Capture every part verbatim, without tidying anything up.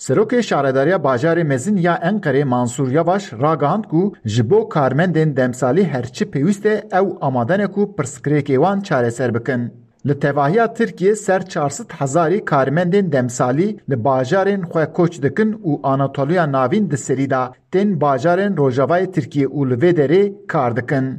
Serokê Şaredariya Bajarê Mezin ya Enqerê Mansûr Yavaş ragihand ku ji bo karmendên demsalî her çi pêwîst e ew amade ne ku pirsgirêkê wan çareser bikin. Li tevahiya Tirkiyê ser çar sed hezarî karmendên demsalî li bajarên xwe koç dikin û Anatoliya Navîn di serî de tên bajarên rojavayê Tirkiyê û li vê derê kar dikin.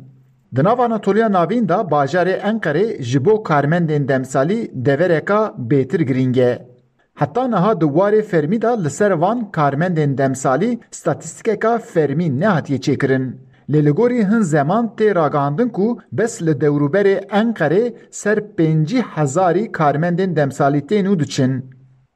Di nav Anatoliya Navîn de bajarê Enqerê ji bo karmendên demsalî devereka bêtir girîng e. Heta niha di warê fermî de li ser van karmendên demsalî statîstîkeka fermî nehatiye çêkirin. Lê li gorî hin zeman tê ragihandin ku bes li dewrûberê Enqerê ser pêncî hezarî karmendên demsalî tên û diçin.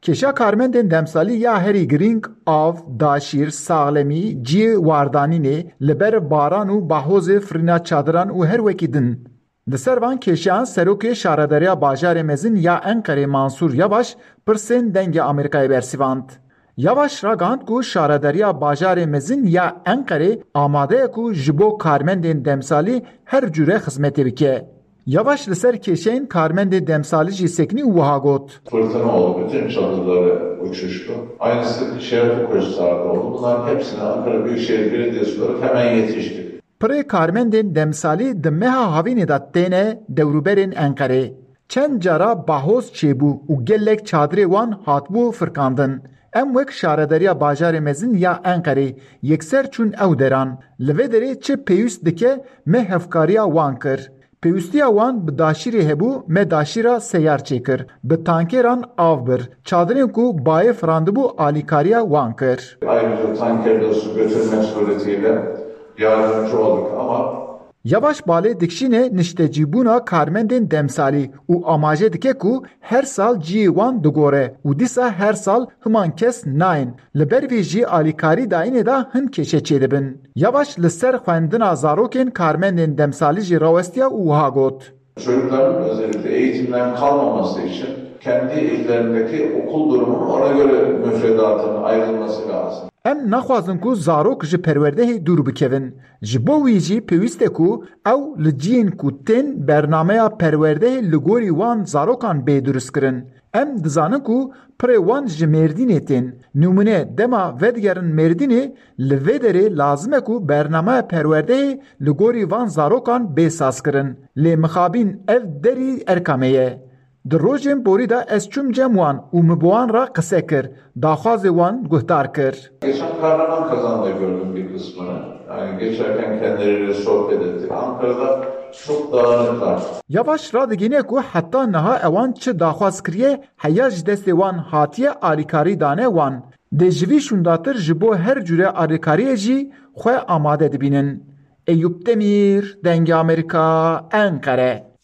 Kêşa karmendên demsalî ya herî girîng av, daşîr, saxlemî, cihê wardanînê, li ber baran û bahozê firîna çadiran û her wekî din. Li ser van kêşeyan Serokê Şaredariya Bajarê Mezin ya Enqerê Mansûr Yavaş pirsên Dengê Amerîkayê bersivand. Yavaş ragihand ku Şaredariya Bajarê Mezin ya Enqerê amade ye ku ji bo karmendên demsalî her cure xizmetê bike. Yavaş li ser kêşeyên karmendê demsalî jî sekinî û wiha got. Fırtına oldu, bütün çadırları uçuştu. Aynısı Şerefli Koçhisar'da oldu. Bunların hepsine Ankara Büyükşehir Belediyesi olarak hemen yetiştik. Pirê karmendên demsalî di meha havînê de têne dewrûberên Enqerê. Çend cara bahoz çêbû û gelek çadirê wan hatibû firkandin. Em wek Şaredariya Bajarê Mezin ya Enqerê yekser çûn ew deran. Li vê derê çi pêwîst dike me hevkariya wan kir. Pêwîstiya wan bi daşîrê hebû, me daşîra seyar çêkir. Bi tankêran av bir. Çadirên ku bayê firandibû alîkariya wan kir. Ayrıca tankerle su götürmek suretiyle yardımcı olduk ama Yavaş balê dikişîne niştecîbûna karmendên demsalî û amaje dike ku her sal cihê wan digore û dîsa her sal himan kes nayên. Li ber vê jî alîkarî dayînê de hin kêşe çêdibin. Yavaş li ser xwendina zarokên karmendên demsalî jî rawestiya û wiha got. Çocukların özellikle eğitimden kalmaması için kendi illerindeki okul durumunun ona göre müfredatının ayrılması lazım. Em naxwazin ku zarok ji perwerdehê dûr bikevin. Ji bo wî jî pêwîst e ku ew li cihên ku tên bernameya perwerdehê li gorî wan zarokan bê durustkirin. Em dizanin ku pirê wan ji Mêrdînê tên. Nimûne dema vedigerin Mêrdînê, li vê derê lazim e ku bernameya perwerdehê li gorî van zarokan bê sazkirin. Lê mixabîn ev derî erka me ye. Di rojên borî de ez çûm cem wan û min bi wan re qise kir, daxwazê wan guhdar kir. Geçen Kahraman Kazan'da gördüm bir kısmını. Yani geçerken kendileriyle sohbet ettik. Ankara'da çok dağınıklar. Yavaş radigihîne ku heta niha ewan çi daxwaz kiriye, heya ji destê wan hatiye alîkarî dane wan. Dê ji vî şûndatir ji bo her cure alîkariyê jî xwe amade dibînin. Eyûp Demîr, Dengê Amerîka, Enqere.